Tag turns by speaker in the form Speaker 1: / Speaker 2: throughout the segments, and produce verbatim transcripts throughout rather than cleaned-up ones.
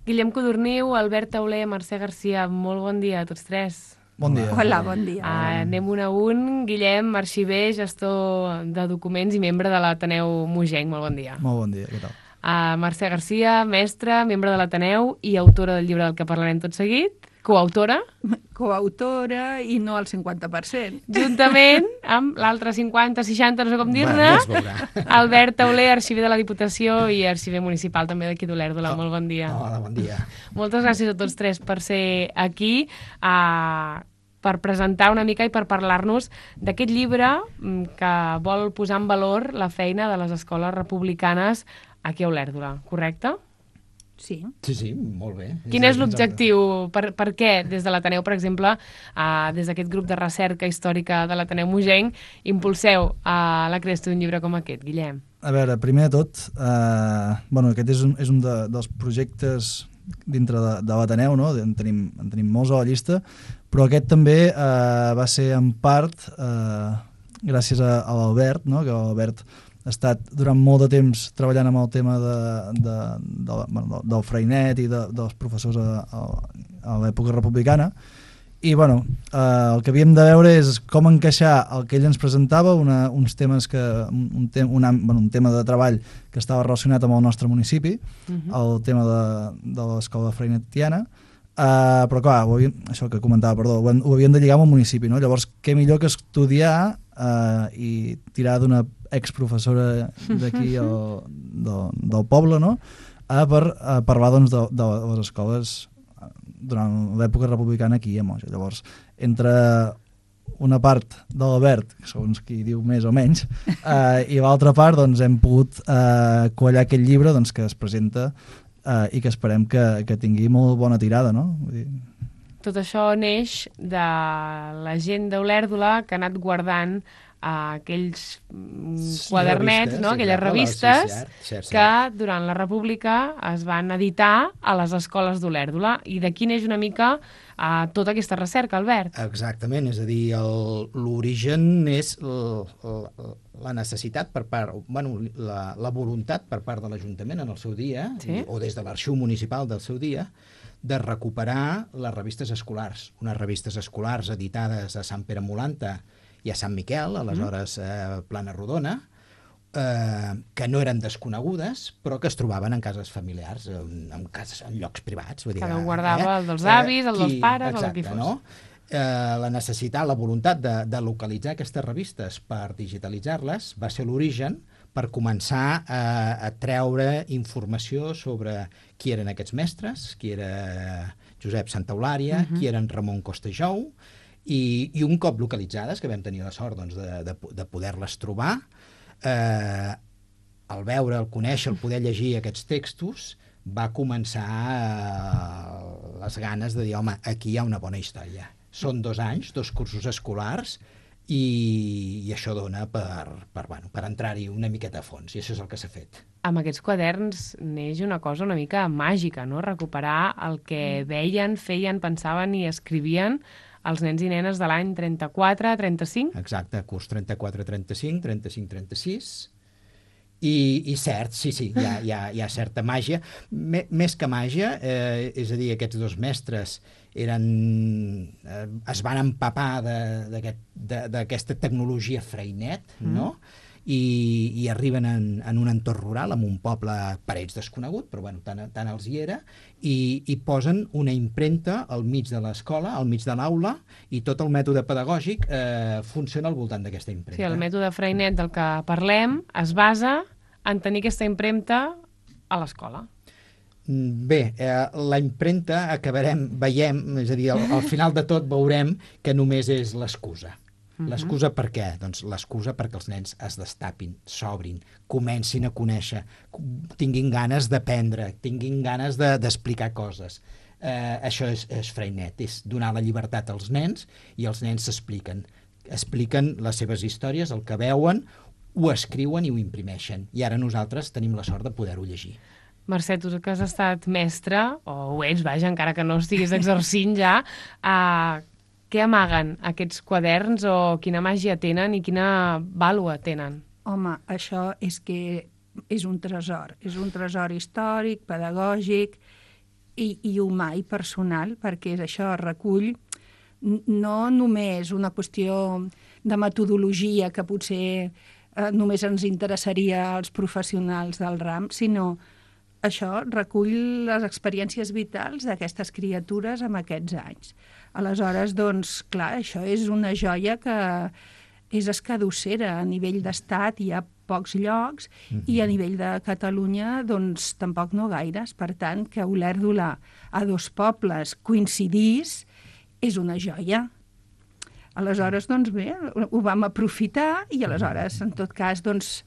Speaker 1: Guillem Codorniu, Albert Tauler, Mercè Garcia, molt bon dia a tots tres.
Speaker 2: Bon dia.
Speaker 3: Hola, bon dia.
Speaker 1: Uh, anem un a un. Guillem, arxiver, gestor de documents i membre de l'Ateneu Mogenc. Molt bon dia.
Speaker 2: Molt bon dia, què tal?
Speaker 1: Uh, Mercè Garcia, mestra, membre de l'Ateneu i autora del llibre del que parlarem tot seguit. Coautora.
Speaker 3: Coautora i no al cinquanta per cent.
Speaker 1: Juntament amb l'altre cinquanta, seixanta, no sé com dir-ne, Albert Tauler, arxiver de la Diputació i arxiver municipal també d'aquí d'Olèrdola. Oh, molt bon dia.
Speaker 4: Hola, bon dia.
Speaker 1: Moltes gràcies a tots tres per ser aquí, uh, per presentar una mica i per parlar-nos d'aquest llibre que vol posar en valor la feina de les escoles republicanes aquí a Olèrdola, correcte?
Speaker 3: Sí.
Speaker 4: Sí, sí, molt bé.
Speaker 1: Quin és l'objectiu? Per, per què, des de l'Ateneu, per exemple, uh, des d'aquest grup de recerca històrica de l'Ateneu Mogenc, impulseu uh, la creació d'un llibre com aquest, Guillem?
Speaker 2: A veure, primer de tot, uh, bueno, aquest és un, és un de, dels projectes dintre de, de l'Ateneu, no? En tenim, en tenim molts a la llista, però aquest també uh, va ser en part uh, gràcies a, a l'Albert, no? Que l'Albert ha estat durant molt de temps treballant amb el tema de, de, de, bueno, del Freinet i de, dels professors a, a, a l'època republicana. I bueno, eh, el que havíem de veure és com encaixar el que ell ens presentava, una, uns temes que, un, tem, una, bueno, un tema de treball que estava relacionat amb el nostre municipi, uh-huh. el tema de, de l'escola freinetiana, eh, però clar, ho havíem, això que comentava, perdó, ho, ho havíem de lligar amb el municipi, no? Llavors, què millor que estudiar eh, i tirar d'una exprofessora d'aquí del, del poble, no? A per a parlar doncs, de, de les escoles durant l'època republicana aquí a Moja. Llavors, entre una part de l'Albert, segons qui diu més o menys, eh, i l'altra part doncs, hem pogut eh, quallar aquest llibre doncs, que es presenta eh, i que esperem que, que tingui molt bona tirada, no? Vull dir...
Speaker 1: Tot això neix de la gent d'Olèrdola que ha anat guardant uh, aquells mm, quadernets, no? Aquelles revistes sí, cert, cert, cert. que durant la República es van editar a les escoles d'Olèrdola. I d'aquí neix una mica uh, tota aquesta recerca, Albert.
Speaker 4: Exactament, és a dir, l'origen és el, el, la necessitat per part, bueno, la, la voluntat per part de l'Ajuntament en el seu dia, sí? o des de l'arxiu municipal del seu dia, de recuperar les revistes escolars, unes revistes escolars editades a Sant Pere Molanta i a Sant Miquel, aleshores eh, Plana Rodona, eh, que no eren desconegudes, però que es trobaven en cases familiars, en, en, cases, en llocs privats. Vull dir,
Speaker 1: Cada un guardava eh? el dels avis, el dels pares, exacte, el que fos.
Speaker 4: No? Eh, la necessitat, la voluntat de, de localitzar aquestes revistes per digitalitzar-les va ser l'origen per començar a, a treure informació sobre qui eren aquests mestres, qui era Josep Santaulària, uh-huh. qui eren Ramon Costejou, i, i un cop localitzades, que vam tenir la sort doncs, de, de, de poder-les trobar, eh, al veure, al conèixer, al poder llegir aquests textos, va començar eh, les ganes de dir, home, aquí hi ha una bona història. Són dos anys, dos cursos escolars, i, i això dona per, per, bueno, per entrar-hi una miqueta a fons, i això és el que s'ha fet.
Speaker 1: Amb aquests quaderns neix una cosa una mica màgica, no? Recuperar el que veien, feien, pensaven i escrivien els nens i nenes de l'any trenta-quatre a trenta-cinc.
Speaker 4: Exacte, curs trenta-quatre trenta-cinc, trenta-cinc trenta-sis, i, i cert, sí, sí, hi ha, hi ha, hi ha certa màgia. M més que màgia, eh, és a dir, aquests dos mestres eren, eh, es van empapar d'aquesta tecnologia Freinet, mm. no? I, i arriben en, en un entorn rural, en un poble per ells desconegut, però bueno, tant, tant els hi era, i, i posen una impremta al mig de l'escola, al mig de l'aula, i tot el mètode pedagògic eh, funciona al voltant d'aquesta impremta.
Speaker 1: Sí, el mètode Freinet del que parlem es basa en tenir aquesta impremta a l'escola.
Speaker 4: Bé, eh, la impremta acabarem, veiem, és a dir, al, al final de tot veurem que només és l'excusa. Uh-huh. L'excusa per què? Doncs l'excusa perquè els nens es destapin, s'obrin, comencin a conèixer, tinguin ganes d'aprendre, tinguin ganes d'explicar de, coses. Eh, això és, és Freinet, és donar la llibertat als nens i els nens s'expliquen. Expliquen les seves històries, el que veuen, ho escriuen i ho imprimeixen. I ara nosaltres tenim la sort de poder-ho llegir.
Speaker 1: Mercè, tu que has estat mestre, o ho ets, vaja, encara que no estiguis exercint ja, uh, què amaguen aquests quaderns o quina màgia tenen i quina vàlua tenen?
Speaker 3: Home, això és que és un tresor, és un tresor històric, pedagògic, i, i humà i personal, perquè és això, recull no només una qüestió de metodologia que potser eh, només ens interessaria als professionals del ram, sinó això recull les experiències vitals d'aquestes criatures en aquests anys. Aleshores, doncs, clar, això és una joia que és escadossera. A nivell d'estat hi ha pocs llocs mm-hmm. i a nivell de Catalunya, doncs, tampoc no gaires. Per tant, que Olèrdola a Dos Pobles coincidís és una joia. Aleshores, doncs bé, ho vam aprofitar i aleshores, en tot cas, doncs,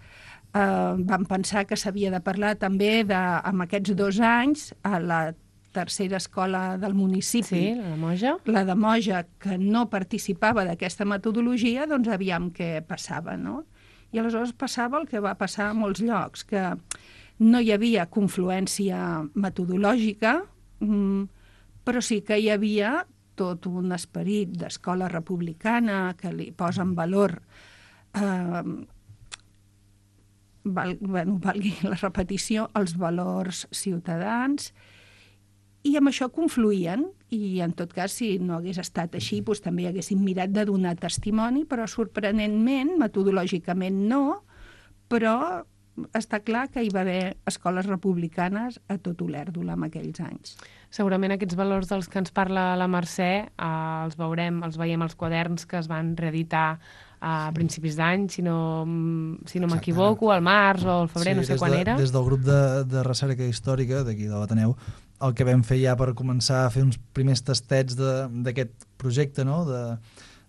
Speaker 3: Uh, vam pensar que s'havia de parlar també de, amb aquests dos anys a la tercera escola del municipi,
Speaker 1: sí, la de Moja,
Speaker 3: la de Moja, que no participava d'aquesta metodologia, doncs aviam què passava, no? I aleshores passava el que va passar a molts llocs, que no hi havia confluència metodològica, mm, però sí que hi havia tot un esperit d'escola republicana que li posa en valor eh, Val, bueno, valgui la repetició, els valors ciutadans, i amb això confluïen, i en tot cas, si no hagués estat així, doncs també haguéssim mirat de donar testimoni, però sorprenentment, metodològicament no, però està clar que hi va haver escoles republicanes a tot Olèrdola en aquells anys.
Speaker 1: Segurament aquests valors dels que ens parla la Mercè eh, els veurem, els veiem als quaderns que es van reeditar a principis d'any, si no, si no m'equivoco, al març o al febrer, sí, no sé quan
Speaker 2: de,
Speaker 1: era.
Speaker 2: Des del grup de, de recerca històrica d'aquí de l'Ateneu, el que vam fer ja per començar a fer uns primers tastets d'aquest projecte, no?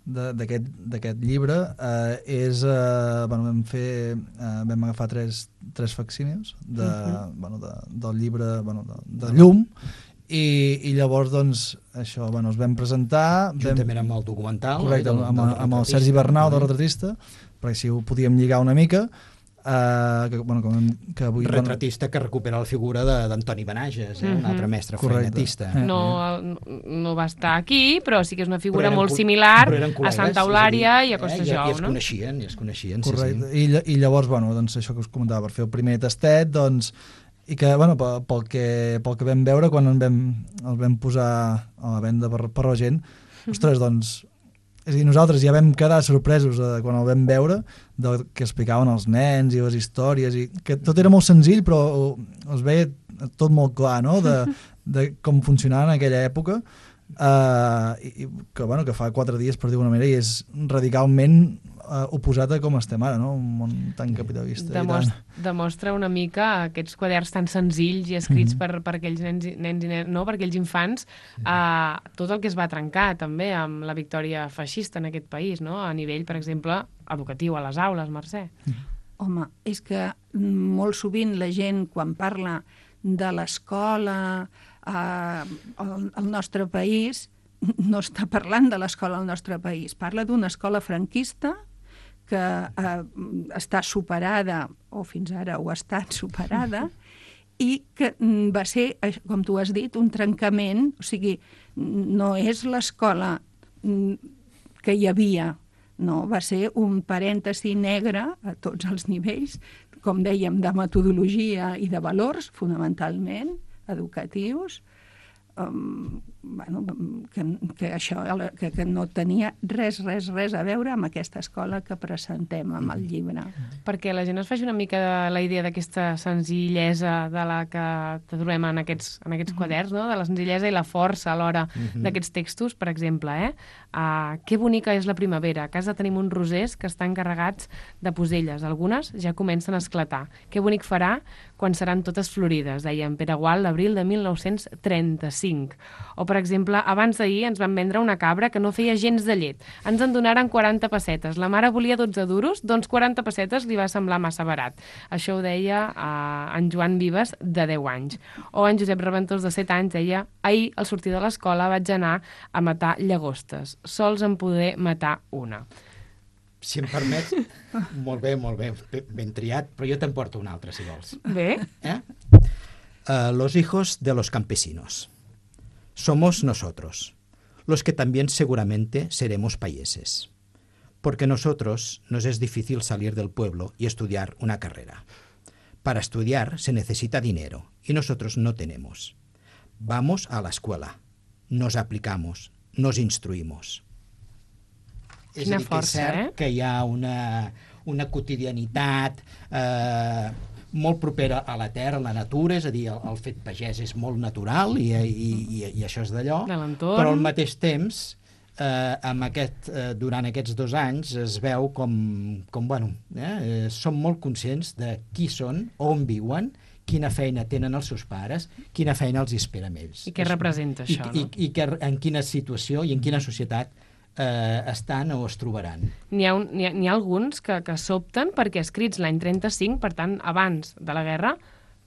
Speaker 2: d'aquest llibre, eh, és, eh, bueno, vam fer, eh, vam agafar tres, tres facsímils de, uh-huh. bueno, de, del llibre, bueno, de, de Llum, I, i llavors, doncs, això, bueno, es vam presentar...
Speaker 4: Juntament vam, amb el documental.
Speaker 2: Correcte,
Speaker 4: del,
Speaker 2: amb,
Speaker 4: del
Speaker 2: amb el Sergi Bernau, del retratista, perquè si ho podíem lligar una mica, eh, que, bueno, com, que avui...
Speaker 4: Retratista que recupera la figura d'Antoni Benages, eh, uh-huh. un altre mestre feinetista.
Speaker 1: No, no va estar aquí, però sí que és una figura molt similar a Santa Eulària i a Costajou,
Speaker 4: no? I es coneixien, i es coneixien,
Speaker 2: correcte. Sí, sí. I, I llavors, bueno, doncs, això que us comentava, per fer el primer tastet, doncs, i que, bueno, pel que, pel que vam veure quan en vam, el vam posar a la venda per, per la gent, ostres, doncs, és a dir, nosaltres ja vam quedar sorpresos de, quan el vam veure, del que explicaven els nens i les històries, i que tot era molt senzill, però es veia tot molt clar, no?, de, de com funcionava en aquella època, uh, i, que, bueno, que fa quatre dies, per dir una manera, i és radicalment uh, oposat a com estem ara, no?, un món tan capitalista.
Speaker 1: Demostra, demostra una mica aquests quaderns tan senzills i escrits mm-hmm. per, per aquells nens, nens i nens, no, per aquells infants, uh, tot el que es va trencar també amb la victòria feixista en aquest país, no?, a nivell, per exemple, educatiu a les aules, Mercè.
Speaker 3: Home, és que molt sovint la gent, quan parla de l'escola eh, al, al nostre país, no està parlant de l'escola al nostre país, parla d'una escola franquista que eh, està superada, o fins ara ho ha estat superada, i que va ser, com tu has dit, un trencament, o sigui, no és l'escola que hi havia, no, va ser un parèntesi negre a tots els nivells, com dèiem, de metodologia i de valors, fonamentalment, educatius, um, bueno, que, que això que, que no tenia res, res, res a veure amb aquesta escola que presentem amb el llibre.
Speaker 1: Perquè la gent es faci una mica de la idea d'aquesta senzillesa de la que trobem en aquests, en aquests mm-hmm. quaderns, no? De la senzillesa i la força alhora mm-hmm. d'aquests textos, per exemple, eh? Uh, que bonica és la primavera. A casa tenim uns rosers que estan carregats de poselles. Algunes ja comencen a esclatar. Que bonic farà quan seran totes florides, deia en Pere Gual, l'abril de mil nou-cents trenta-cinc. O, per exemple, abans d'ahir ens van vendre una cabra que no feia gens de llet. Ens en donaren quaranta pessetes. La mare volia dotze duros, doncs quaranta pessetes li va semblar massa barat. Això ho deia uh, en Joan Vives, de deu anys. O en Josep Reventós, de set anys, deia: ahir, al sortir de l'escola, vaig anar a matar llagostes. Sols en poder matar una.
Speaker 4: Si em permets, molt bé, molt bé, ben triat, però jo te'n porto un altre, si vols.
Speaker 1: Bé.
Speaker 4: ¿Eh? Uh, los hijos de los campesinos. Somos nosotros, los que también seguramente seremos payeses. Porque nosotros nos es difícil salir del pueblo y estudiar una carrera. Para estudiar se necesita dinero y nosotros no tenemos. vamos a la escuela, nos aplicamos, nos instruïmos. És
Speaker 1: Quina
Speaker 4: a dir, que és
Speaker 1: força,
Speaker 4: cert
Speaker 1: eh?
Speaker 4: que hi ha una, una quotidianitat eh, molt propera a la terra, a la natura, és a dir, el, el fet pagès és molt natural i, i, i, i això és d'allò,
Speaker 1: De l'entorn.
Speaker 4: però al mateix temps, eh, amb aquest, eh, durant aquests dos anys es veu com, com bueno, eh, eh, som molt conscients de qui són, on viuen, quina feina tenen els seus pares, quina feina els espera amb ells.
Speaker 1: I què representa
Speaker 4: I,
Speaker 1: això,
Speaker 4: i,
Speaker 1: no?
Speaker 4: I, i que, en quina situació i en quina societat eh, estan o es trobaran.
Speaker 1: N'hi ha, un, n'hi ha, n'hi ha alguns que, que s'opten perquè escrits l'any trenta-cinc, per tant, abans de la guerra,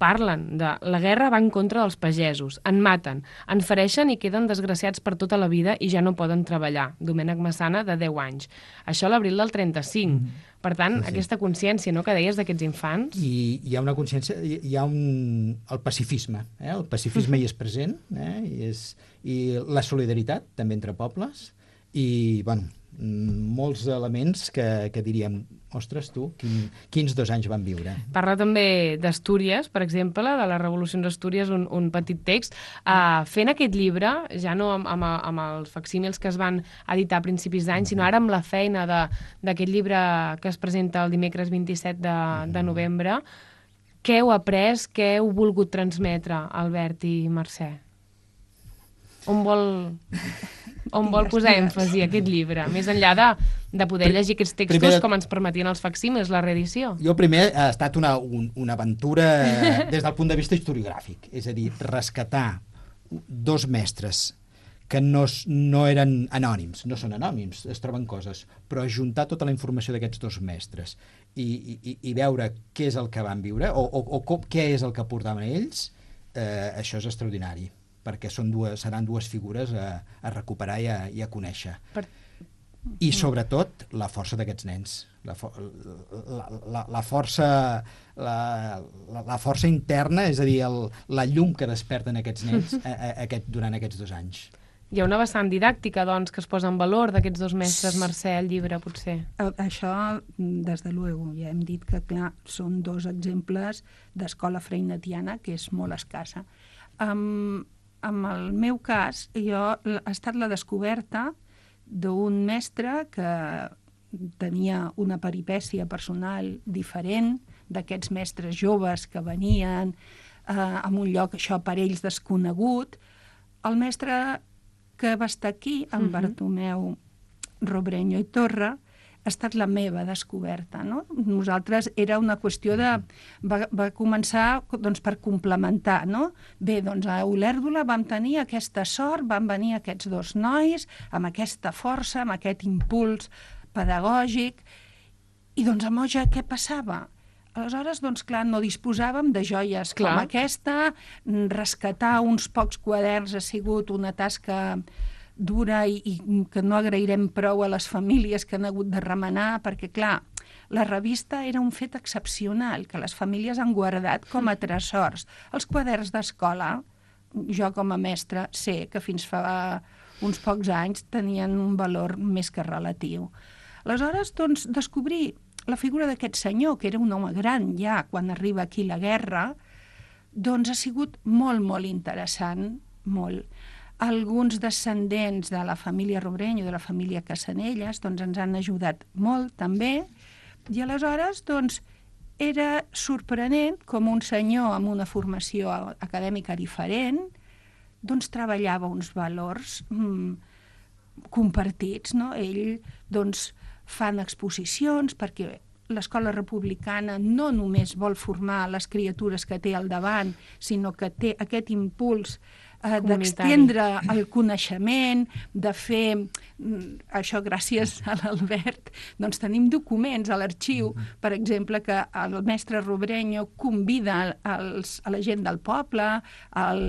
Speaker 1: parlen de la guerra va en contra dels pagesos, en maten, en fereixen i queden desgraciats per tota la vida i ja no poden treballar. Domènec Massana, de deu anys. Això a l'abril del trenta-cinc. Mm. Per tant, sí, sí. aquesta consciència, no?, que deies d'aquests infants...
Speaker 4: I hi ha una consciència, hi ha un, el pacifisme, eh? El pacifisme hi és present, eh? I, és, i la solidaritat, també entre pobles, i, bueno, molts elements que, que diríem, ostres, tu, quin, quins dos anys van viure.
Speaker 1: Parla també d'Astúries, per exemple, de les revolucions d'Astúries, un, un petit text. Uh, fent aquest llibre, ja no amb, amb, amb els facsímils que es van editar a principis d'any, sinó ara amb la feina d'aquest llibre que es presenta el dimecres vint-i-set de, de novembre, què heu après, què heu volgut transmetre, Albert i Mercè? On vol... on vol posar èmfasi aquest llibre, més enllà de, de poder llegir aquests textos primer, com ens permetien els facsímils, la reedició?
Speaker 4: Jo primer ha estat una, un, una aventura des del punt de vista historiogràfic, és a dir, rescatar dos mestres que no, no eren anònims, no són anònims, es troben coses, però ajuntar tota la informació d'aquests dos mestres i, i, i veure què és el que van viure o, o, o com, què és el que portaven ells, eh, això és extraordinari, perquè són dues, seran dues figures a, a recuperar i a, i a conèixer. Per... I sobretot la força d'aquests nens, la, fo la, la, la, força, la, la, la força interna, és a dir, el, la llum que desperten aquests nens a, a, aquest, durant aquests dos anys.
Speaker 1: Hi ha una vessant didàctica, doncs, que es posa en valor d'aquests dos mestres, Mercè, el llibre, potser?
Speaker 3: Això, des de luego, ja hem dit que, clar, són dos exemples d'escola freinetiana que és molt escassa. Um, en el meu cas, jo, ha estat la descoberta d'un mestre que tenia una peripècia personal diferent d'aquests mestres joves que venien eh, en un lloc, això, per ells desconegut. El mestre que va estar aquí, en uh-huh. Bartomeu Robreño i Torra, ha estat la meva descoberta, no? Nosaltres era una qüestió de... Va, va començar doncs, per complementar, no? Bé, doncs a Olèrdola vam tenir aquesta sort, van venir aquests dos nois amb aquesta força, amb aquest impuls pedagògic, i doncs a Moja què passava? Aleshores, doncs clar, no disposàvem de joies clar. Com aquesta, rescatar uns pocs quaderns ha sigut una tasca dura i, i que no agrairem prou a les famílies que han hagut de remenar, perquè, clar, la revista era un fet excepcional, que les famílies han guardat com a tresors. Els quaderns d'escola, jo com a mestra sé que fins fa uns pocs anys tenien un valor més que relatiu. Aleshores, doncs, descobrir la figura d'aquest senyor, que era un home gran ja quan arriba aquí la guerra, doncs ha sigut molt, molt interessant, molt. Alguns descendents de la família Robreño, de la família Cassanelles, doncs ens han ajudat molt també, i aleshores doncs, era sorprenent com un senyor amb una formació acadèmica diferent doncs treballava uns valors mm, compartits, no? Ell doncs fan exposicions perquè l'escola republicana no només vol formar les criatures que té al davant, sinó que té aquest impuls eh, d'extendre el coneixement, de fer, això gràcies a l'Albert, doncs tenim documents a l'arxiu, per exemple, que el mestre Robreño convida els, a la gent del poble, al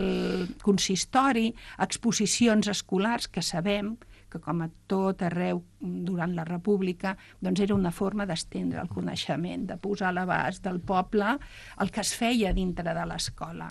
Speaker 3: consistori, a exposicions escolars que sabem que com a tot arreu durant la República doncs era una forma d'estendre el coneixement, de posar a l'abast del poble el que es feia dintre de l'escola.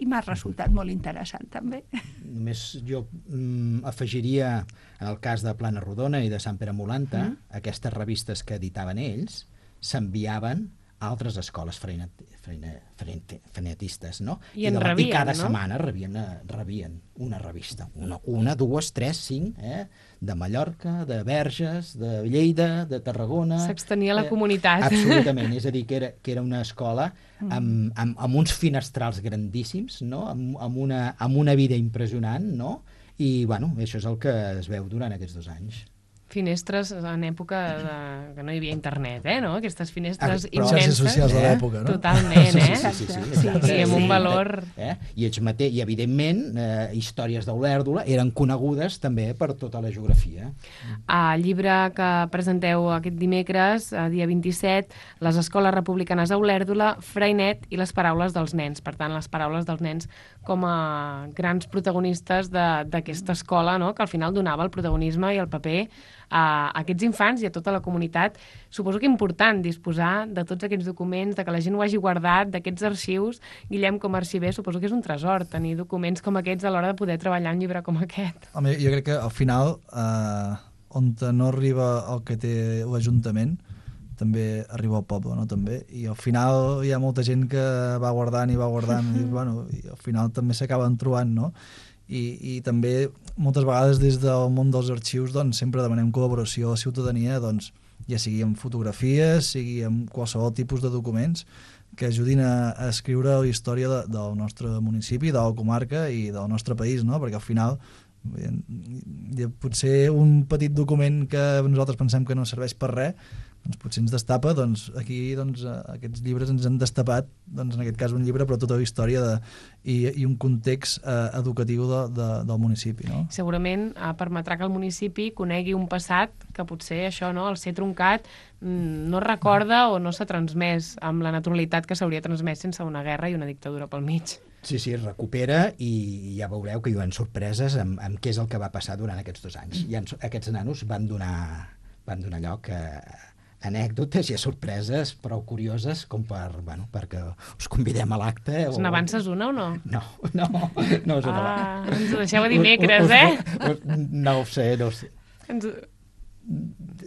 Speaker 3: I m'ha resultat molt interessant, també.
Speaker 4: Només jo mm, afegiria, en el cas de Plana Rodona i de Sant Pere Molanta, mm. aquestes revistes que editaven ells s'enviaven altres escoles freinet, freinet, freinet, freinetistes, no?
Speaker 1: I en
Speaker 4: I, de,
Speaker 1: rebien,
Speaker 4: I cada
Speaker 1: no?
Speaker 4: setmana rebien, rebien una revista, una, una dues, tres, cinc, eh? De Mallorca, de Verges, de Lleida, de Tarragona...
Speaker 1: S'extenia la
Speaker 4: eh?
Speaker 1: comunitat.
Speaker 4: Absolutament, és a dir, que era, que era una escola amb, amb, amb uns finestrals grandíssims, no? Amb, amb, una, amb una vida impressionant, no? I, bueno, això és el que es veu durant aquests dos anys.
Speaker 1: Finestres en època de, que no hi havia internet, eh, no? Aquestes finestres
Speaker 4: Ah, però-
Speaker 1: immenses.
Speaker 2: Xarxes socials de l'època, no?
Speaker 1: Totalment, eh?
Speaker 4: Sí, sí, sí, sí,
Speaker 3: Sí,
Speaker 4: exacte.
Speaker 1: sí, amb un valor...
Speaker 4: Eh? I, ells mate... I, evidentment, eh, històries d'Olèrdola eren conegudes també per tota la geografia.
Speaker 1: Al llibre que presenteu aquest dimecres, a dia vint-i-set, les escoles republicanes a Olèrdola, Freinet i les paraules dels nens. Per tant, les paraules dels nens com a grans protagonistes d'aquesta escola, no? Que al final donava el protagonisme i el paper a aquests infants i a tota la comunitat. Suposo que important disposar de tots aquests documents, de que la gent ho hagi guardat, d'aquests arxius. Guillem, com a arxiver, suposo que és un tresor tenir documents com aquests a l'hora de poder treballar un llibre com aquest.
Speaker 2: Home, jo crec que al final, eh, on no arriba el que té l'Ajuntament, també arriba al poble, no? També. I al final hi ha molta gent que va guardant i va guardant i, bueno, i al final també s'acaben trobant, no? I, i també moltes vegades des del món dels arxius doncs, sempre demanem col·laboració a la ciutadania, doncs, ja sigui amb fotografies, sigui amb qualsevol tipus de documents que ajudin a, a escriure la història de, del nostre municipi, de la comarca i del nostre país, no? Perquè al final eh, potser un petit document que nosaltres pensem que no serveix per res, doncs potser ens destapa, doncs aquí doncs, aquests llibres ens han destapat, doncs en aquest cas un llibre, però tota la història de, i, i un context eh, educatiu de, de, del municipi. No?
Speaker 1: Segurament eh, permetrà que el municipi conegui un passat que potser això, no, al ser truncat, no recorda o no s'ha transmès amb la naturalitat que s'hauria transmès sense una guerra i una dictadura pel mig.
Speaker 4: Sí, sí, recupera i ja veureu que hi ha sorpreses amb, amb què és el que va passar durant aquests dos anys. I aquests nanos van donar, van donar lloc a anècdotes i a sorpreses prou curioses com per, bueno, perquè us convidem a l'acte.
Speaker 1: O... n'avances una o no?
Speaker 4: No, no, no és una.
Speaker 1: Ah, ens ho deixeu a dimecres, eh?
Speaker 4: No ho sé, no ho sé.
Speaker 1: Ens...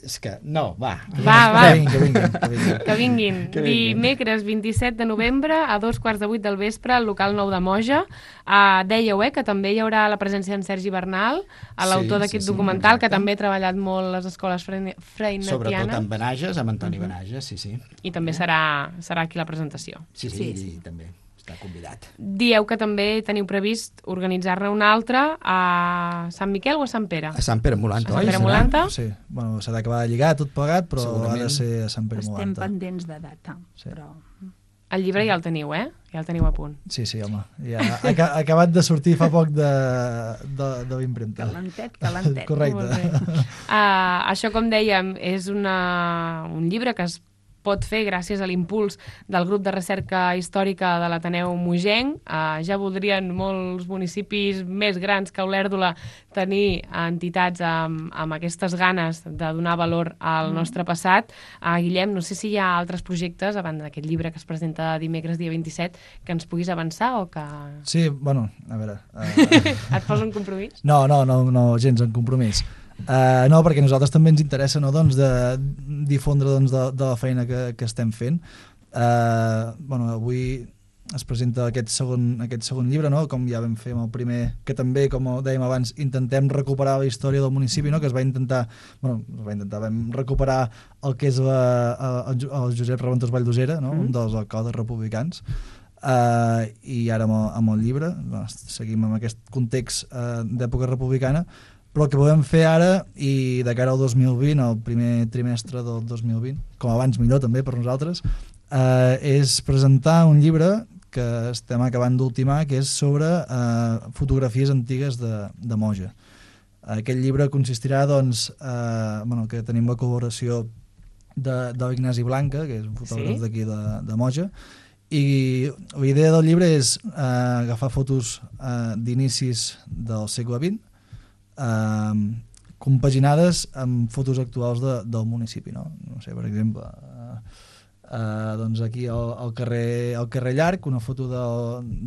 Speaker 4: És que, no, va.
Speaker 1: Va, va.
Speaker 2: Que vinguin, que vinguin. Que vinguin.
Speaker 1: Que vinguin.
Speaker 4: Que vinguin.
Speaker 1: Dimecres vint-i-set de novembre a dos quarts de vuit del vespre al local nou de Moja. Uh, dèieu, eh, que també hi haurà la presència d'en Sergi Bernal, l'autor
Speaker 4: Sí,
Speaker 1: d'aquest
Speaker 4: sí, sí,
Speaker 1: documental,
Speaker 4: exacte.
Speaker 1: que també ha treballat molt les escoles freine- freinetianes.
Speaker 4: Sobretot amb Benages, amb Antoni
Speaker 1: Mhm.
Speaker 4: Benages, sí, sí.
Speaker 1: I també serà, serà aquí la presentació.
Speaker 4: Sí, sí,
Speaker 3: Sí,
Speaker 4: sí,
Speaker 3: sí.
Speaker 4: també està convidat.
Speaker 1: Dieu que també teniu previst organitzar-ne una altra a Sant Miquel o a Sant Pere?
Speaker 4: A Sant Pere Molant,
Speaker 1: A Sant
Speaker 4: oi?
Speaker 1: Pere
Speaker 4: serà?
Speaker 1: Molanta?
Speaker 2: Sí, bueno, s'ha d'acabar de lligar tot plegat, però
Speaker 4: Segurament.
Speaker 2: ha de ser a Sant Pere
Speaker 3: Estem
Speaker 2: Molanta.
Speaker 3: pendents de data,
Speaker 2: Sí.
Speaker 3: però...
Speaker 1: El llibre ja el teniu, eh? Ja el teniu a punt.
Speaker 2: Sí, sí, home. Ja ha, ha acabat de sortir fa poc de, de, de l'impremta.
Speaker 3: Calentet, calentet.
Speaker 2: Correcte.
Speaker 1: Molt bé. Uh, això, com dèiem, és una, un llibre que es pot fer gràcies a l'impuls del grup de recerca històrica de l'Ateneu Mogenc. Uh, ja voldrien molts municipis més grans que Olèrdola tenir entitats amb, amb aquestes ganes de donar valor al nostre passat. Uh, Guillem, no sé si hi ha altres projectes, a banda d'aquest llibre que es presenta dimecres dia vint-i-set, que ens puguis avançar o que...
Speaker 2: Sí, bueno, a veure... Uh,
Speaker 1: Et posa un compromís?
Speaker 2: no, no, no, no, gens en compromís. Uh, no, perquè a nosaltres també ens interessa, no, doncs, de difondre, doncs, de, de la feina que, que estem fent. Uh, bueno, avui es presenta aquest segon, aquest segon llibre, no? Com ja vam fer amb el primer, que també, com dèiem abans, intentem recuperar la història del municipi, no? Que es va intentar, bueno, es va intentar, vam recuperar el que és la, el, el Josep Reventós Valldosera, no? Mm. Un dels alcaldes republicans. Uh, i ara amb el, amb el llibre, doncs, seguim amb aquest context uh, d'època republicana, però el que volem fer ara i de cara al dos mil vint, el primer trimestre del dos mil vint, com abans millor també per nosaltres, eh, és presentar un llibre que estem acabant d'ultimar, que és sobre eh, fotografies antigues de, de Moja. Aquest llibre consistirà, doncs, eh, bueno, que tenim la col·laboració de, de l'Ignasi Blanca, que és un fotògraf
Speaker 1: Sí?
Speaker 2: d'aquí de, de Moja, i la idea del llibre és eh, agafar fotos eh, d'inicis del segle vint, eh, compaginades amb fotos actuals de, del municipi, no? No sé, per exemple, eh, eh, doncs aquí al, al, carrer, al carrer Llarg, una foto de,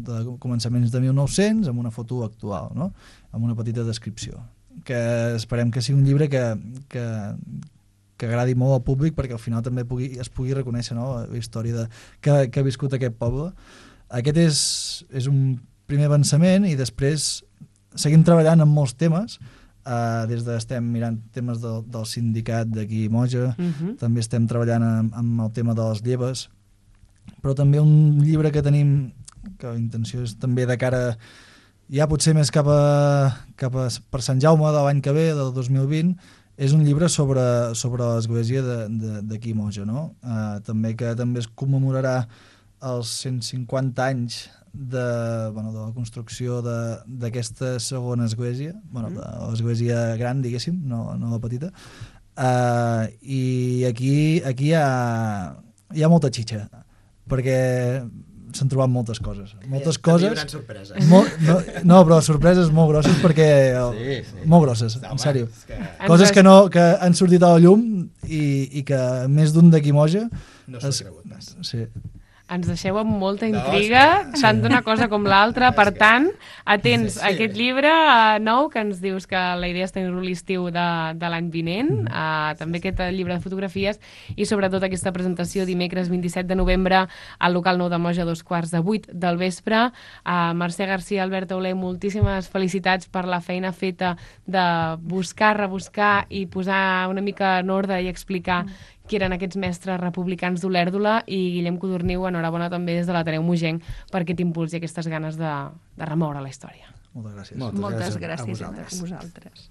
Speaker 2: de començaments de mil nou-cents amb una foto actual, no? Amb una petita descripció, que esperem que sigui un llibre que, que, que agradi molt al públic perquè al final també pugui, es pugui reconèixer, no?, la història de, que, que ha viscut aquest poble. Aquest és, és un primer avançament i després seguim treballant en molts temes. Uh, des de estem mirant temes del, del sindicat d'aquí a Moja, uh-huh. també estem treballant amb, amb el tema de les lleves, però també un llibre que tenim, que la intenció és també de cara, ja potser més cap a, cap a per Sant Jaume de l'any que ve, del dos mil vint, és un llibre sobre, sobre l'església d'aquí a Moja, no? Uh, també que també es commemorarà els cent cinquanta anys de, bueno, de la construcció d'aquesta segona església, bueno, de l'església gran, diguéssim, no, no la petita, uh, i aquí, aquí hi, ha, hi ha molta xitxa, perquè s'han trobat moltes coses. Moltes coses...
Speaker 4: També hi haurà sorpreses.
Speaker 2: Molt, no, no, però sorpreses molt grosses, perquè...
Speaker 4: Sí, sí.
Speaker 2: Molt grosses,
Speaker 4: Home,
Speaker 2: en sèrio.
Speaker 4: Que...
Speaker 2: Coses que, no, que han sortit a la llum i, i que més d'un d'aquí Moja...
Speaker 4: No s'ho ha cregut pas.
Speaker 2: Sí.
Speaker 1: Ens deixeu amb molta intriga, no, tant d'una cosa com l'altra, per tant, atents a aquest llibre uh, nou, que ens dius que la idea és tenir-lo l'estiu de, de l'any vinent, uh, també aquest llibre de fotografies, i sobretot aquesta presentació dimecres vint-i-set de novembre al local nou de Moja, dos quarts de vuit del vespre. Uh, Mercè Garcia, Albert Auler, moltíssimes felicitats per la feina feta de buscar, rebuscar i posar una mica en ordre i explicar mm. qui eren aquests mestres republicans d'Olèrdola, i Guillem Codorniu, enhorabona també des de l'Ateneu Mogenc per aquest impuls i aquestes ganes de, de remoure la història.
Speaker 2: Moltes gràcies.
Speaker 3: Moltes, Moltes gràcies, gràcies a vosaltres.